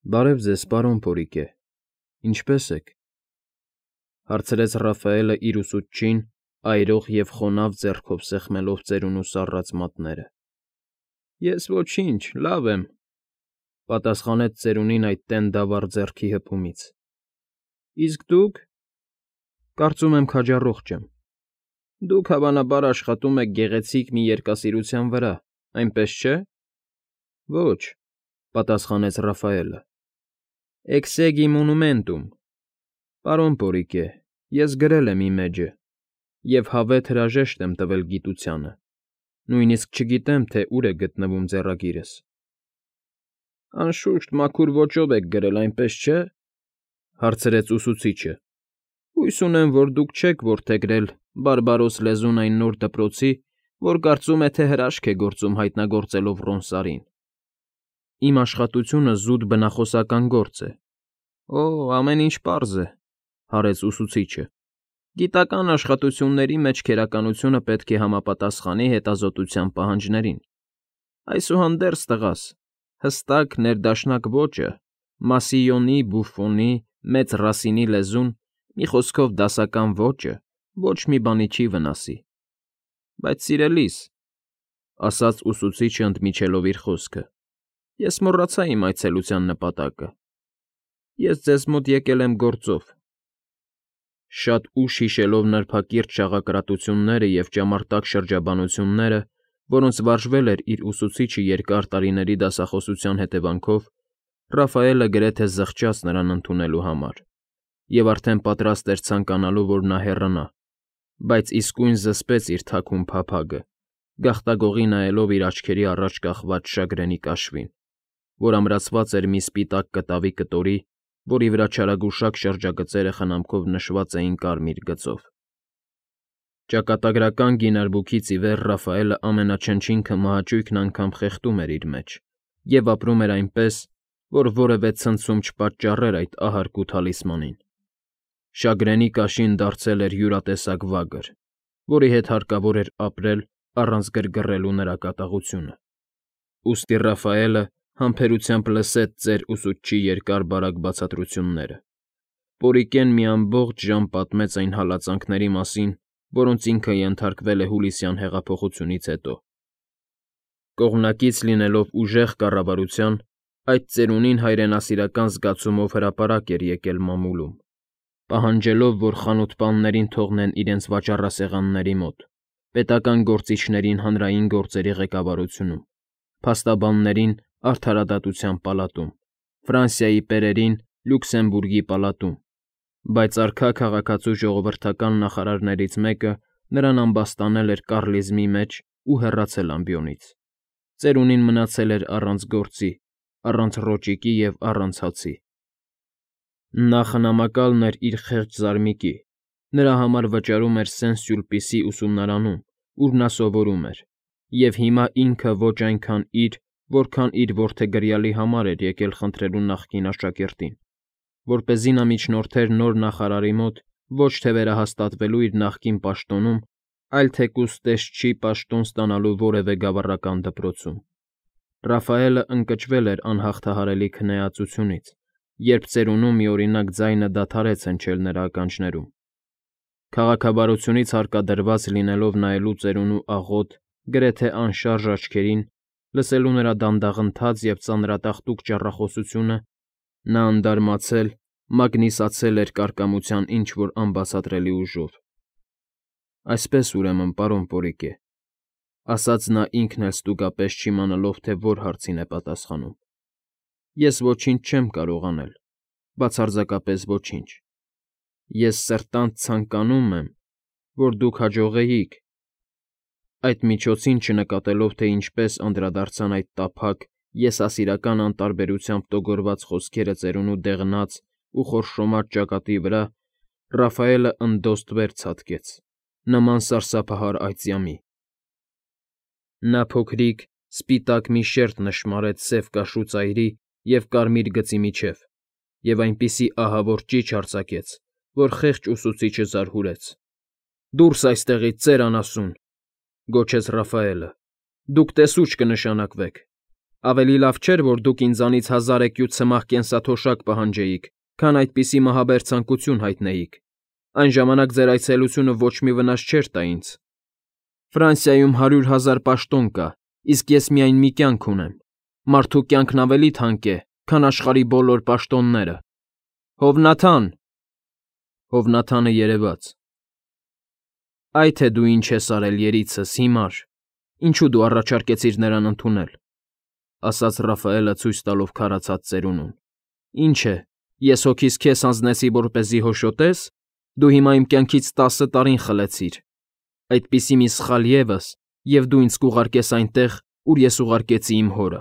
Բարև ձեզ, պարոն Փորիկե, ինչպե՞ս եք,֊ հարցրեց Ռաֆայելը իր ուսուցչին, այրող և խոնավ ձեռքով սեղմելով ծերունու սառած մատները։ ֊ Ես ոչինչ, լավ եմ,֊ պատասխանեց ծերունին այդ տենդավառ ձեռքի հպումից։ ֊ Իսկ դուք… Կարծում եմ քաջառողջ եմ։ Դուք, հավանաբար, աշխատում եք գեղեցիկ մի երկասիրության վրա, այնպես չէ՞։ ֊ Ոչ,֊ պատասխանեց Ռաֆայելը։ Exegi monumentum, պարոն Փորիկե, ես գրել եմ իմեջը և հավեթ հրաժեշտ եմ տվել գիտությանը, նույնիսկ չգիտեմ, թե ուր է գտնվում ձեռագիրս։ ֊ Անշուշտ մաքուր ոճով եք գրել, այնպես չէ՞, հարցրեց ուսուցիչը։ Հույս ունեմ, որ դուք չեք որդեգրել բարբարոս լեզուն այն նոր դպրոցի, որ կարծում է, թե հրաշք է գործում հայտնագործելով Ռոնսարին։ Իմ աշխատությունը զուտ բնախոսական գործ է։ ֊ Օ, ամեն ինչ պարզ է,֊ հարեց ուսուցիչը։ Գիտական աշխատությունների մեջ քերականությունը պետք է համապատասխանի հետազոտության պահանջներին։ Այսուհանդերձ, տղաս, հստակ, ներդաշնակ ոճը, Մասիոնի, Բուֆոնի, Մեծ Ռասինի լեզուն, մի խոսքով դասական ոճը ոչ մի բանի չի վնասի։ ֊ Բայց, սիրելիս,֊ ասաց ուսուցիչը ընդմիջելով իր խոսքը,֊ ես մոռացա իմ այցելության նպատակը։ Ես ձեզ մոտ եկել եմ գործով։ Շատ ուշ հիշելով նրբակիրթ շաղակրատությունները և ճամարտակ շրջաբանությունները, որոնց վարժվել էր իր ուսուցիչը երկար տարիների դասախոսության հետևանքով, Ռաֆայելը գրեթե զղջաց նրան ընդունելու համար և արդեն պատրաստ էր ցանկանալու, որ նա հեռանա, բայց իսկույն զսպեց իր թաքուն փափագը, գաղտագողի նայելով իր աչքերի առաջ կախված շագրենի կաշվին, որ ամրացված էր մի սպիտակ կտավի կտորի, որի վրա չարագուշակ շրջագծերը խնամքով նշված էին կարմիր գծով։ Ճակատագրական գինարբուքից ի վեր Ռաֆայելը ամենաչնչինքը մահաճույքն անգամ խեղդում էր իր մեջ և ապրում էր այնպես, որ որևէ ցնցում չպատճառեր այդ ահարկու թալիսմանին։ Շագրենի կաշին դարձել էր յուրատեսակ վագր, որի հետ հարկավոր էր ապրել առանց գրգռելու նրա կատաղությունը։ Ուստի Ռաֆայելը համբերությամբ լսեց ծեր ուսուցչի երկար֊բարակ բացատրությունները։ Պորիկեն մի ամբողջ ժամ պատմեց այն հալածանքների մասին, որոնց ինքը ենթարկվել է հուլիսյան հեղափոխությունից հետո։ Կողմնակից լինելով ուժեղ կառավարության, այդ ծերունին հայրենասիրական զգացումով հրապարակ էր եկել մամուլում, պահանջելով, որ խանութպաններին թողնեն իրենց վաճառասեղանների մոտ, պետական գործիչներին հանրային գործերի ղեկավարությունում, փաստաբաններին արդարադատության պալատում, Ֆրանսիայի պերերին Լյուքսեմբուրգի պալատում, բայց արքա քաղաքացու ժողովրդական նախարարներից մեկը նրան ամբաստանել էր կառլիզմի մեջ ու հեռացել ամբիոնից։ Ծերունին մնացել էր առանց գործի, առանց ռոճիկի և առանց հացի։ Նա խնամակալն էր իր խեղճ զարմիկի, նրա համար վճարում էր Սեն֊Սյուլպիսի ուսումնարանում, ուր նա սովորում էր, և հիմա ինքը ոչ այնքան իր, որքան իր որդեգրյալի համար էր եկել խնդրելու նախկին աշակերտին, որպեսզի նա միջնորդեր նոր նախարարի մոտ ոչ թե վերահաստատվելու իր նախկին պաշտոնում, այլ թեկուզ տեսչի պաշտոն ստանալու որևէ գավառական դպրոցում։ Ռաֆայելը ընկճվել էր անհաղթահարելի քնեածությունից, երբ ծերունու միօրինակ ձայնը դադարեց հնչել նրա ականջներում։ Քաղաքավարությունից հարկադրված լինելով նայելու ծերունու աղոտ, գրեթե անշարժ աչքերին, լսելու նրա դանդաղընթաց և ծանրատախտուկ ճառախոսությունը, նա անդարմացել, մագնիսացել էր կարկամության ինչ֊որ անբացատրելի ուժով։ Այսպես, ուրեմն, պարոն Պորիկե,֊ ասաց նա ինքն էլ ստուգապես չիմանալով, թե որ հարցին է պատասխանում,֊ ես ոչինչ չեմ կարող անել, բացարձակապես ոչինչ։ Ես սրտանց ցանկանում եմ, որ դուք հաջողեիք… Այդ միջոցին չնկատելով, թե ինչպես անդրադարձան այդ տափակ, եսասիրական անտարբերությամբ տոգորված խոսքերը ծերունու դեղնած ու խորշոմած ճակատի վրա, Ռաֆայելը ընդոստ վեր ցատկեց, նման սարսափահար այծյամի։ Նա փոքրիկ, սպիտակ մի շերտ նշմարեց սև կաշու ծայրի և կարմիր գծի միջև և այնպիսի ահավոր ճիչ արձակեց, որ խեղճ ուսուցիչը զարհուրեց։ ֊ Դուրս այստեղից, ծեր անասուն,֊ գոչեց Ռաֆայելը,֊ դուք տեսուչ կնշանակվեք։ Ավելի լավ չէր, որ դուք ինձանից 1000 էկյուց սմաղ կենսաթոշակ պահանջեիք, քան այդպիսի մահաբեր ցանկություն հայտնեիք։ Այն ժամանակ ձեր այցելությունը ոչ մի վնաս չէր տա ինձ։ Ֆրանսիայում 100,000 պաշտոն կա, իսկ ես միայն մի կյանք ունեմ։ Մարդու կյանքն ավելի թանկ է, քան աշխարհի բոլոր պաշտոնները։ Հովնաթան… Հովնաթանը երևաց։ Այ թե դու ինչ ես արել, երիցս, հիմար, ինչու դու առաջարկեցիր նրան ընդունել, ասաց Ռաֆայելը ցույց տալով քարացած ծերունուն։ Ինչ է, ես հոգիս քեզ հանձնեցի, որպեսզի հոշոտես, դու հիմա իմ կյանքից 10 տարին խլեցիր։ Այդպիսի մի սխալ ևս, և դու ինձ կուղարկես այնտեղ, ուր ես ուղարկեցի իմ հորը։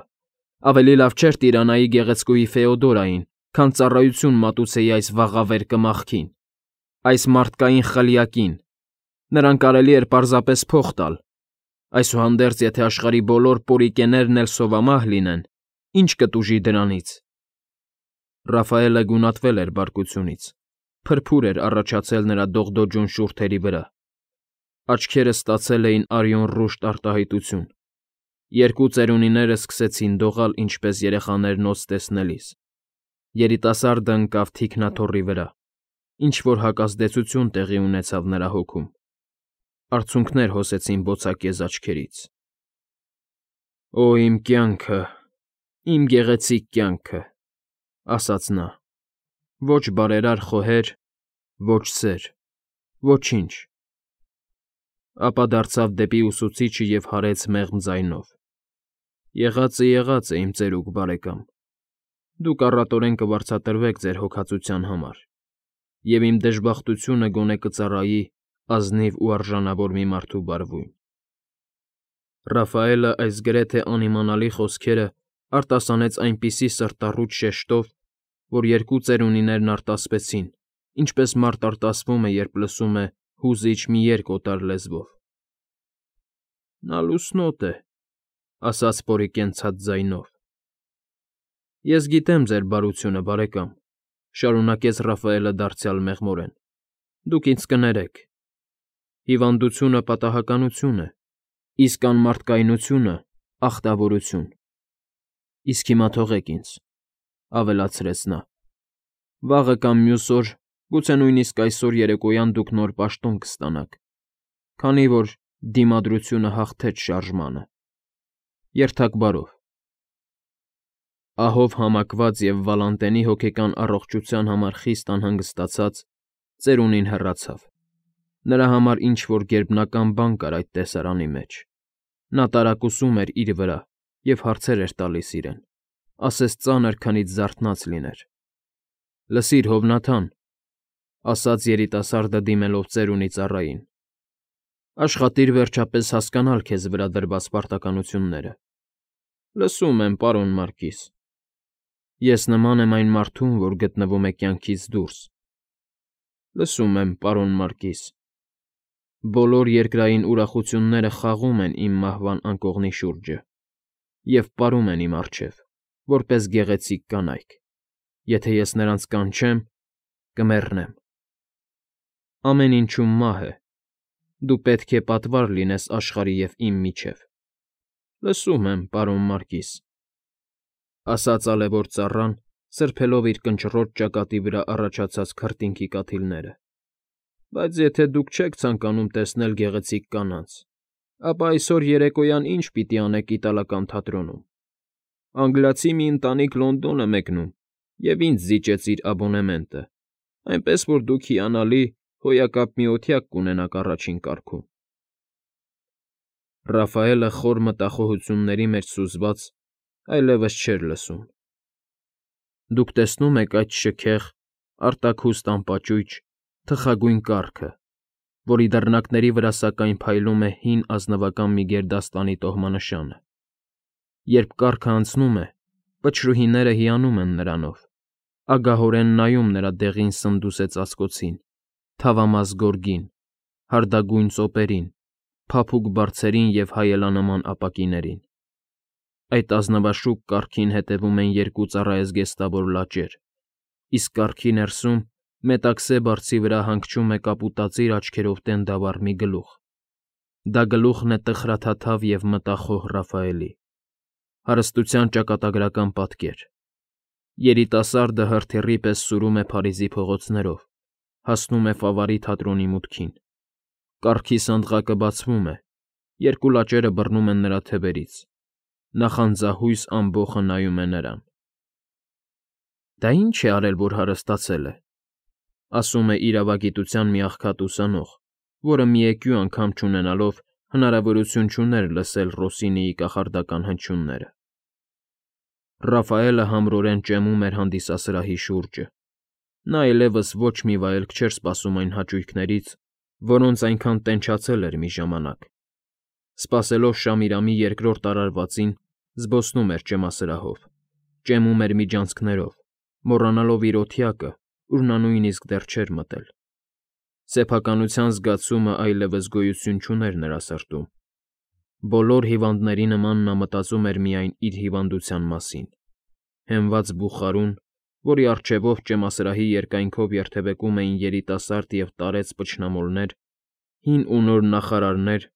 Ավելի լավ չէր Տիրանայի գեղեցկուհի Ֆեոդորային, քան ծառայություն մատուցեի այս վաղավեր կմախքին, այս մարդկային խլյակին։ Նրան կարելի էր պարզապես փող տալ։ Այսուհանդերձ, եթե աշխարհի բոլոր պորիկեներն էլ սովամահ լինեն, ինչ կտուժի դրանից։ Ռաֆայելը գունատվել էր բարկությունից, փրփուր էր առաջացել նրա դողդոջուն շուրթերի վրա։ Աչքերը ստացել էին արյունռուշտ արտահայտություն։ Երկու ծերունիները սկսեցին դողալ, ինչպես երեխաներ նոց տեսնելիս։ Երիտասարդը ընկավ թիկնաթոռի վրա, ինչ-որ հակազդեցություն տեղի ունեցավ նրա հոգում։ Արցունքներ հոսեցին բոցակեզ աչքերից։ «Օ, իմ կյանքը, իմ գեղեցիկ կյանքը», ասաց նա։ Ոչ բարերար խոհեր, ոչ սեր, ոչինչ։ Ապա դարձավ դեպի ուսուցիչը և հարեց մեղմ ձայնով. Եղածը, իմ ծերուկ բարեկամ, դուք առատորեն կվարձատրվեք ձեր հոգածության համար, և իմ դժբախտությունը գոնե կծառայի ազնիվ ու արժանավոր մի մարդու բարվույն։ Ռաֆայելը այս գրեթե անիմանալի խոսքերը արտասանեց այնպիսի սրտառուչ շեշտով, որ երկու ծերունիներն արտասվեցին, ինչպես մարդ արտասվում է, երբ լսում է հուզիչ մի երգ օտար լեզվով։ Նա լուսնոտ է, ասաց պորիկենցած ձայնով։ Ես գիտեմ ձեր բարությունը, բարեկամ, շարունակեց Ռաֆայելը դարձյալ մեղմորեն։ Դուք ինձ կներեք։ Հիվանդությունը պատահականություն է, իսկ անմարդկայնությունը ախտավորություն։ Իսկ հիմա թողեք ինձ, ավելացրեց նա։ Վաղը կամ մյուս օր, գուցե նույնիսկ այսօր երեկոյան դուք նոր պաշտոն կստանաք, քանի որ դիմադրությունը հաղթեց շարժմանը։ Երթաք բարով։ Ահով համակված և Վալանտենի հոգեկան առողջության համար խիստ անհանգստացած, ծերունին հեռացավ։ Նրա համար ինչ-որ գերբնական բան կար այդ տեսարանի մեջ։ Նա տարակուսում էր իր վրա և հարցեր էր տալիս իրեն, ասես ծանր քնից զարթնած լիներ։ Լսիր, Հովնաթան, ասաց երիտասարդը դիմելով ծերունի ծառային, աշխատիր վերջապես հասկանալ քեզ վրա դրված պարտականությունները։ Լսում եմ, պարոն Մարկիս։ Ես նման եմ այն մարդուն, որ գտնվում է կյանքից դուրս։ Լսում եմ, պարոն Մարկիս։ Բոլոր երկրային ուրախությունները խաղում են իմ մահվան անկողնի շուրջը և պարում են իմ առջև, որպես գեղեցիկ կանայք։ Եթե ես նրանց կանչեմ, կմեռնեմ։ Ամեն ինչում մահ է։ Դու պետք է պատվար լինես աշխարհի և իմ միջև։ Լսում եմ, պարոն Մարկիս, ասաց ալևոտ ծառան, սրբելով իր կնճռոտ ճակատի վրա առաջացած քրտինքի կաթիլները։ Բայց եթե դուք չեք ցանկանում տեսնել գեղեցիկ կանանց, ապա այսօր երեկոյան ինչ պիտի անեք իտալական թատրոնում։ Անգլիացի մի ընտանիք Լոնդոն է մեկնում և ինձ զիջեց իր աբոնեմենտը, այնպես որ դուք հիանալի հոյակապ մի օթյակ կունենաք առաջին կարգում։ Ռաֆայելը խոր մտախոհությունների մեջ սուզված այլևս չէր լսում։ Դուք տեսնում եք այդ շքեղ, արտաքուստ անպաճույճ, թխագույն կառքը, որի դռնակների վրա սակայն փայլում է հին ազնվական մի գերդաստանի տոհմանշանը։ Երբ կառքը անցնում է, պչրուհիները հիանում են նրանով, ագահորեն նայում նրա դեղին սնդուս է ծածկոցին, թավամաս գորգին, հարդագույն ծոպերին, փափուկ բարձերին և հայելանման ապակիներին։ Այդ ազնվաշուկ կառքին հետևում են երկու ծառայեզգեստավոր լաճեր, իսկ կառքի ներսում մետաքսե բարձի վրա հանգչում է կապուտածիր աչքերով տենդավառ մի գլուխ։ Դա գլուխն է տխրաթաթավ և մտախոհ Ռաֆայելի։ Հարստության ճակատագրական պատկեր։ Երիտասարդը հրթիռի պես սուրում է Փարիզի փողոցներով, հասնում է Ֆավարի թատրոնի մուտքին։ Կառքի սանդղակը բացվում է, երկու լաճերը բռնում են նրա թևերից։ Նախանձահույս ամբոխը նայում է նրան։ «Դա ի՞նչ է արել, որ հարստացել է», ասում է իրավագիտության մի աղքատ ուսանող, որը միեկյու անգամ չունենալով հնարավորություն չուներ լսել Ռոսինիի կախարդական հնչյունները։ Ռաֆայելը համրորեն ճեմում էր հանդիսասրահի շուրջը։ Նա այլևս ոչ մի վայելք չէր սպասում այն հաճույքներից, որոնց այնքան տենչացել էր մի ժամանակ։ Սպասելով Շամիրամի երկրորդ արարվածին, զբոսնում էր ճեմասրահով, ճեմում էր միջանցքներով, մոռանալով իր օթյակը, ուր նա նույնիսկ դեռ չէր մտել։ Սեփականության զգացումը այլևս գոյություն չուներ նրա սրտում։ Բոլոր հիվանդների նման նա մտածում էր միայն իր հիվանդության մասին։ Հենված բուխարուն, որի առջևով ճեմասրահի երկայնքով երթևեկում էին երիտասարդ և տարեց փչնամոլներ, հին ու նոր նախարարներ,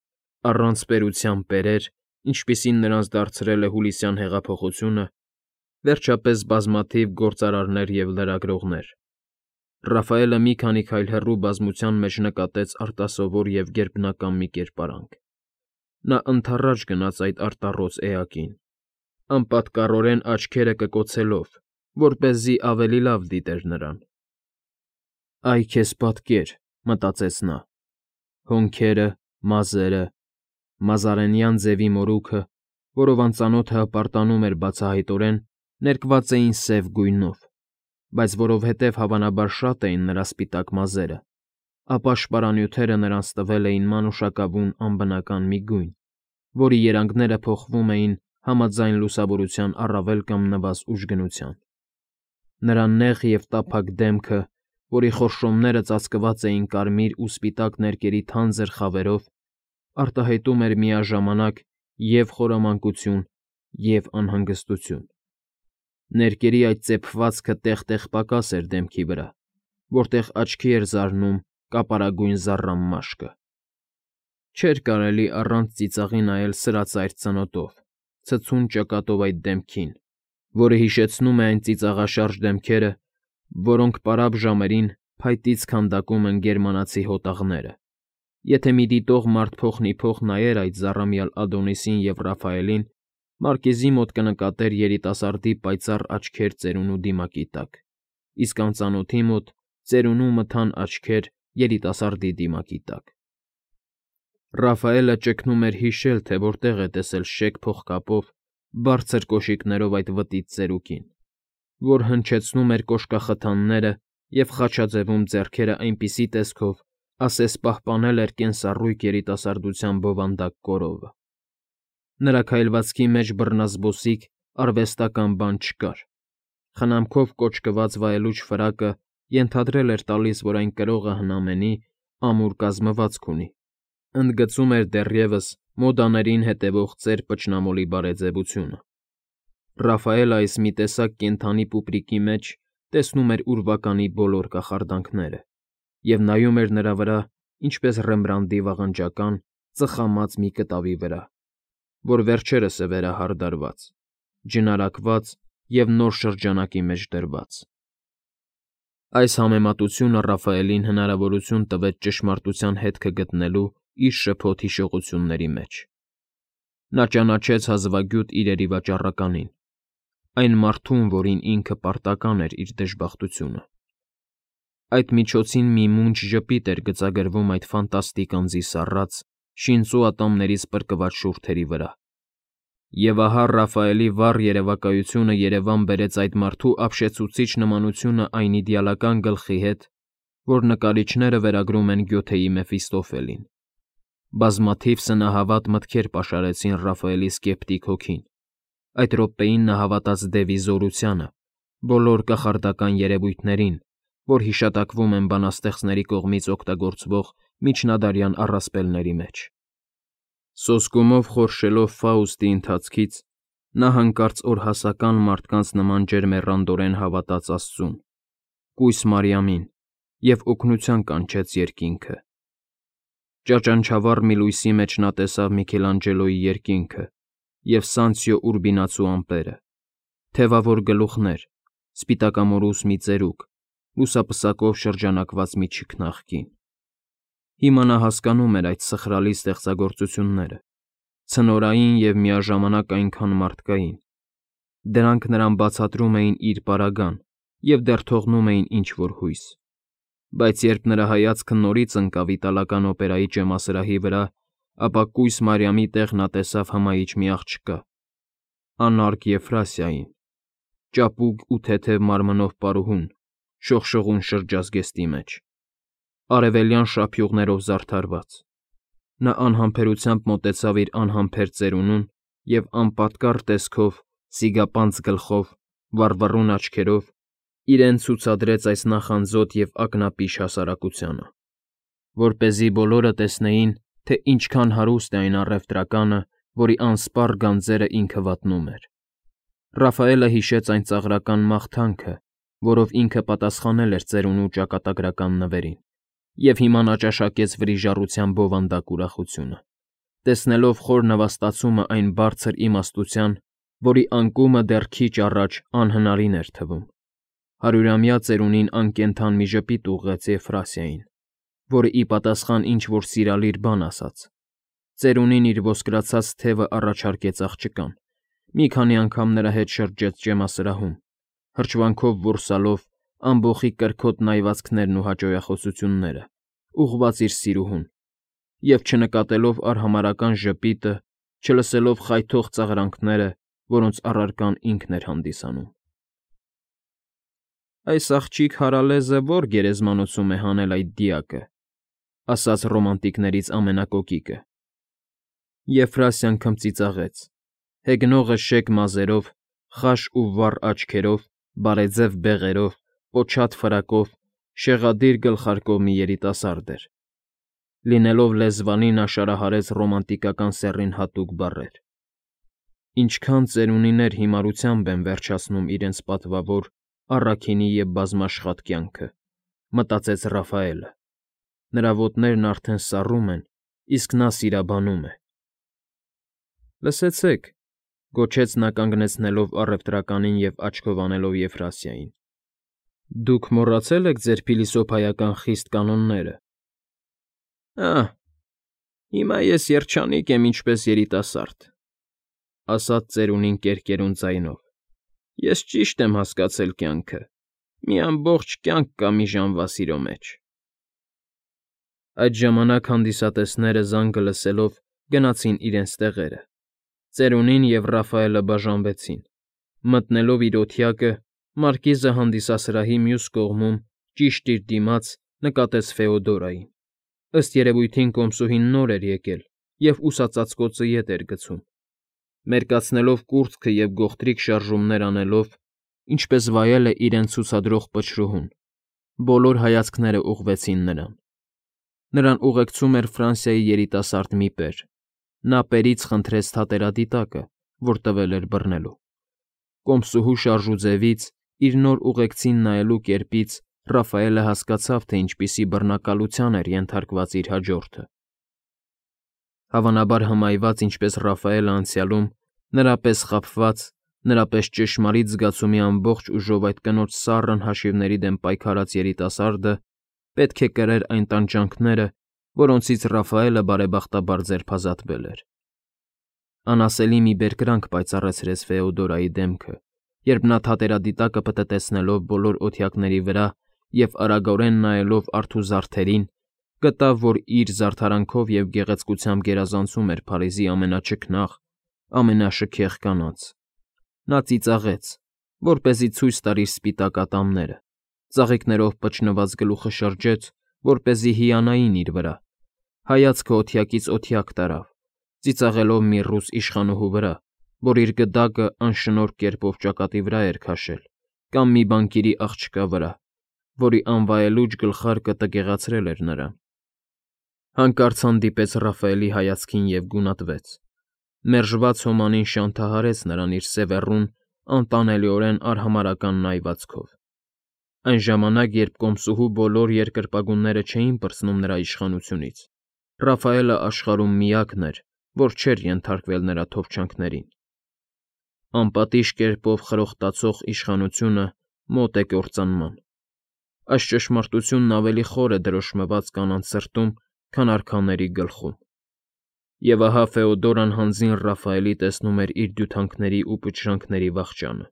առանց պետության պերեր, ինչպիսին նրանց դարձրել է հուլիսյան հեղափոխությունը, վերջապես բազմաթիվ գործարարներ և լրագրողներ։ Ռաֆայելը մի քանի քայլ հեռու բազմության մեջ նկատեց արտասովոր և գերբնական մի կերպարանք։ Նա ընդառաջ գնաց այդ արտառոց էակին, անպատկառորեն աչքերը կկոցելով, որպեսզի ավելի լավ դիտեր նրան։ «Այ քեզ պատկեր», մտածեց նա, հոնքերը, մազերը, մազարենյան ձևի մորուքը, որով անծանոթը հպարտանում էր բացահայտորեն, ներկված էին սև գույնով, բայց որովհետև հավանաբար շատ էին նրա սպիտակ մազերը, ապա շպարանյութերը նրանց տվել էին մանուշակավուն անբնական մի գույն, որի երանգները փոխվում էին համաձայն լուսավորության առավել կամ նվազ ուժգնության։ Նրա նեղ և տափակ դեմքը, որի խորշոմները ծածկված էին կարմիր ու սպիտակ ներկերի թանձր խավերով, արտահայտում էր միաժամանակ և խորամանկություն, և անհանգստություն։ Ներկերի այդ ծեփվածքը տեղ֊տեղ պակաս էր դեմքի վրա, որտեղ աչքի էր զարնում կապարագույն զառամ մաշկը։ Չէր կարելի առանց ծիծաղի նայել սրածայր ծնոտով, ցցուն ճակատով այդ դեմքին, որը հիշեցնում է այն ծիծաղաշարժ դեմքերը, որոնք պարապ ժամերին փայտից քանդակում են գերմանացի հոտաղները։ Եթե մի դիտող մարդ փոխնիփոխ նայեր այդ զառամյալ Ադոնիսին և Ռաֆայելին, մարկեզի մոտ կնկատեր երիտասարդի պայծառ աչքեր ծերունու դիմակի տակ, իսկ անծանոթի մոտ ծերունու մթան աչքեր երիտասարդի դիմակի տակ։ Ռաֆայելը ճգնում էր հիշել, թե որտեղ է տեսել շեկ փողկապով, բարձր կոշիկներով այդ վտիտ ծերուկին, որ հնչեցնում էր կոշկախթանները և խաչաձևում ձեռքերը այնպիսի տեսքով, ասես պահպանել էր կենսառույգ երիտասարդության բովանդակ կորովը։ Նրա քայլվածքի մեջ բռնազբոսիկ, արվեստական բան չկար։ Խնամքով կոճկված վայելուչ ֆրակը ենթադրել էր տալիս, որ այն կրողը հնամենի, ամուր կազմվածք ունի, ընդգծում էր դեռևս մոդաներին հետևող ծեր փչնամոլի բարեձևությունը։ Ռաֆայելը այս մի տեսակ կենդանի պուպրիկի մեջ տեսնում էր ուրվականի բոլոր կախարդանքները և նայում էր նրա վրա, ինչպես Ռեմբրանդտի վաղնջական, ծխամած մի կտավի վրա, որ վերջերս է վերահարդարված, ջնարակված և նոր շրջանակի մեջ դրված։ Այս համեմատությունը Ռաֆայելին հնարավորություն տվեց ճշմարտության հետքը գտնելու իր շփոթ հիշողությունների մեջ։ Նա ճանաչեց հազվագյուտ իրերի վաճառականին, այն մարդուն, որին ինքը պարտական էր իր դժբախտությունը։ Այդ միջոցին մի մունջ ժպիտ էր գծագրվում այդ ֆանտաստիկ անձի սառած, շինծու ատամներից պրկված շուրթերի վրա։ Եվ ահա Ռաֆայելի վառ երևակայությունը երևան բերեց այդ մարդու ապշեցուցիչ նմանությունը այն իդեալական գլխի հետ, որ նկարիչները վերագրում են Գյոթեի Մեֆիստոֆելին։ Բազմաթիվ սնահավատ մտքեր պաշարեցին Ռաֆայելի սկեպտիկ հոգին։ Այդ րոպեին նա հավատաց դևի զորությանը, բոլոր կախարդական երևույթներին, որ հիշատակվում են բանաստեղծների կողմից օգտագործվող միջնադարյան առասպելների մեջ։ Սոսկումով խորշելով Ֆաուստի ընթացքից՝ նա հանկարծ օրհասական մարդկանց նման ջերմեռանդորեն հավատաց Աստծուն, կույս Մարիամին և օգնության կանչեց երկինքը։ Ճաճանչավառ մի լույսի մեջ նա տեսավ Միքելանջելոյի երկինքը, և Սանցիո Ուրբինացու ամպերը, թևավոր գլուխներ, սպիտակամորուս մի ծերուկ, լուսապսակով շրջանակված մի չքնաղ կին։ Հիմա նա հասկանում էր այդ սխրալի ստեղծագործությունները, ցնորային և միաժամանակ այնքան մարդկային։ Դրանք նրան բացատրում էին իր պարագան և դեռ թողնում էին ինչ-որ հույս։ Բայց երբ նրա հայացքը նորից ընկավ իտալական օպերայի ճեմասրահի վրա, ապա կույս Մարիամի տեղ նա տեսավ հմայիչ մի աղջկա, անարգ Եֆրասիային, ճապուկ ու թեթև մարմնով պարուհուն, շողշողուն շրջազգեստի մեջ, արևելյան շափյուղներով զարդարված։ Նա անհամբերությամբ մոտեցավ իր անհամբեր ծերունուն և անպատկառ տեսքով, սիգապանծ գլխով, վառվռուն աչքերով իրեն ցուցադրեց այս նախանձոտ և ակնապիշ հասարակությանը, որպեսզի բոլորը տեսնեին, թե ինչքան հարուստ է այն առևտրականը, որի անսպառ գանձերը ինքը վատնում էր։ Ռաֆայելը հիշեց այն ծաղրական մաղթանքը, որով ինքը պատասխանել էր ծերունու ճակատագրական նվերին, և հիմա նա ճաշակեց վրիժառության բովանդակ ուրախությունը, տեսնելով խոր նվաստացումը այն բարձր իմաստության, որի անկումը դեռ քիչ առաջ անհնարին էր թվում։ Հարյուրամյա ծերունին անկենդան մի ժպիտ ուղղեց Եֆրասիային, որը ի պատասխան ինչ-որ սիրալիր բան ասաց։ Ծերունին իր ոսկրացած թևը առաջարկեց աղջկան, մի քանի անգամ նրա հետ շրջեց ճեմասրահում, հրճվանքով որսալով ամբոխի կրքոտ նայվածքներն ու հաճոյախոսությունները, ուղղված իր սիրուհուն, և չնկատելով արհամարհական ժպիտը, չլսելով խայթող ծաղրանքները, որոնց առարկան ինքն էր հանդիսանում։ «Այս աղջիկ հարալեզը ո՞ր գերեզմանոցում է հանել այդ դիակը», ֊ ասաց ռոմանտիկներից ամենակոկիկը։ Եֆրասիան քմծիծաղեց, հեգնողը շեկ մազերով, խաշ ու վառ աչքերով, բարեձև բեղերով, պոչատ ֆրակով, շեղադիր գլխարկով մի երիտասարդ էր։ Լինելով լեզվալի նա շարահարեց ռոմանտիկական սեռին հատուկ բառեր։ Ինչքան ծերունիներ հիմարությամբ են վերջացնում իրենց պատվավոր, առաքինի և բազմաշխատ կյանքը, մտածեց Ռաֆայելը։ Նրա ոտներն արդեն սառում են, իսկ նա սիրաբանում է։ Լսեցեք, գոչեց նա կանգնեցնելով առևտրականին և աչքով անելով Եֆրասիային. Դուք մոռացել եք ձեր փիլիսոփայական խիստ կանոնները։ Ահ, հիմա ես երջանիկ եմ ինչպես երիտասարդ, ասաց ծերունին կերկերուն ձայնով։ Ես ճիշտ եմ հասկացել կյանքը, մի ամբողջ կյանք կա մի ժամվա սիրո մեջ։ Այդ ժամանակ հանդիսատեսները զանգը լսելով գնացին իրենց տեղերը։ Ծերունին և Ռաֆայելը բաժանվեցին։ Մտնելով իր օթյակը, մարկիզը հանդիսասրահի մյուս կողմում, ճիշտ իր դիմաց, նկատեց Ֆեոդորային։ Ըստ երևույթին կոմսուհին նոր էր եկել և ուսածածկոցը ետ էր գցում։ Մերկացնելով կուրծքը և գողտրիկ շարժումներ անելով, ինչպես վայել է իրեն ցուցադրող պչրուհուն, բոլոր հայացքները ուղղվեցին նրան։ Նրան ուղեկցում էր Ֆրանսիայի երիտասարդ մի պեր։ Նա պերից խնդրեց թատերադիտակը, որ տվել էր բռնելու։ Կոմսուհու շարժուձևից, իր նոր ուղեկցին նայելու կերպից Ռաֆայելը հասկացավ, թե ինչպիսի բռնակալության էր ենթարկված իր հաջորդը։ Հավանաբար հմայված ինչպես Ռաֆայելը անցյալում, նրա պես խաբված, նրա պես ճշմարիտ զգացումի ամբողջ ուժով այդ կնոջ սառն հաշիվների դեմ պայքարած երիտասարդը պետք է կրեր այն տանջանքները, որոնցից Ռաֆայելը բարեբախտաբար ձերբազատվել էր։ Անասելի մի բերկրանք պայծառացրեց Ֆեոդորայի դեմքը, երբ նա թատերադիտակը պտտեցնելով բոլոր օթյակների վրա և արագորեն նայելով արթու զարդերին, գտավ, որ իր զարդարանքով և գեղեցկությամբ գերազանցում էր Փարիզի ամենաչքնաղ, ամենաշքեղ կանանց։ Նա ծիծաղեց, որպեսզի ցույց տար իր սպիտակ ատամները, ծաղիկներով պչնված գլուխը շրջեց, որպեսզի հիանային իր վրա, հայացքը օթյակից օթյակ տարավ, ծիծաղելով մի ռուս իշխանուհու վրա, որ իր գդակը անշնորհք կերպով ճակատի վրա էր քաշել, կամ մի բանկիրի աղջկա վրա, որի անվայելուչ գլխարկը տգեղացրել էր նրան։ Հանկարծ հանդիպեց Ռաֆայելի հայացքին և գունատվեց։ Մերժված հոմանին շանթահարեց նրան իր սևեռուն, անտանելիորեն արհամարհական նայվածքով։ Այն ժամանակ, երբ կոմսուհու բոլոր երկրպագունները չէին պրծնում նրա իշխանությունից, Ռաֆայելը աշխարհում միակն էր, որ չէր ենթարկվել նրա թովչանքներին։ Անպատիժ կերպով խրոխտացող իշխանությունը մոտ է կործանման։ Այս ճշմարտությունն ավելի խոր է դրոշմված կանանց սրտում, քան արքաների գլխում։ Եվ ահա Ֆեոդորան հանձին Ռաֆայելի տեսնում էր իր դյութանքների ու պտրանքների վախճանը։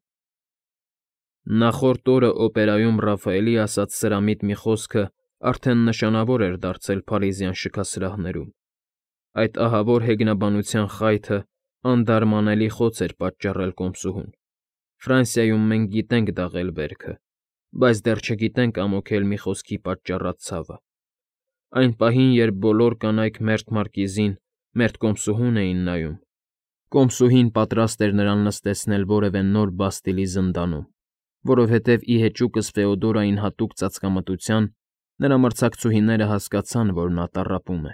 Նախորդ օրը օպերայում Ռաֆայելի ասած սրամիտ մի խոսքը արդեն նշանավոր էր դարձել փարիզյան շքասրահներում։ Այդ ահավոր հեգնաբանության խայթը անդարմանելի խոց էր պատճառել կոմսուհուն։ Ֆրանսիայում մենք գիտենք դաղել վերքը, բայց դեռ չգիտենք ամոթել մի խոսքի պատճառած ցավը։ Այն պահին, երբ բոլոր կանայք մերթ Մարկիզին, մերթ կոմսուհուն էին նայում, կոմսուհին պատրաստ էր նրան նստեցնել որևէ նոր Բաստիլի զնդանում, որովհետև ի հեճուկս Ֆեոդորային հատուկ ծածկամտության նրա մրցակցուհիները հասկացան, որ նա տառապում է։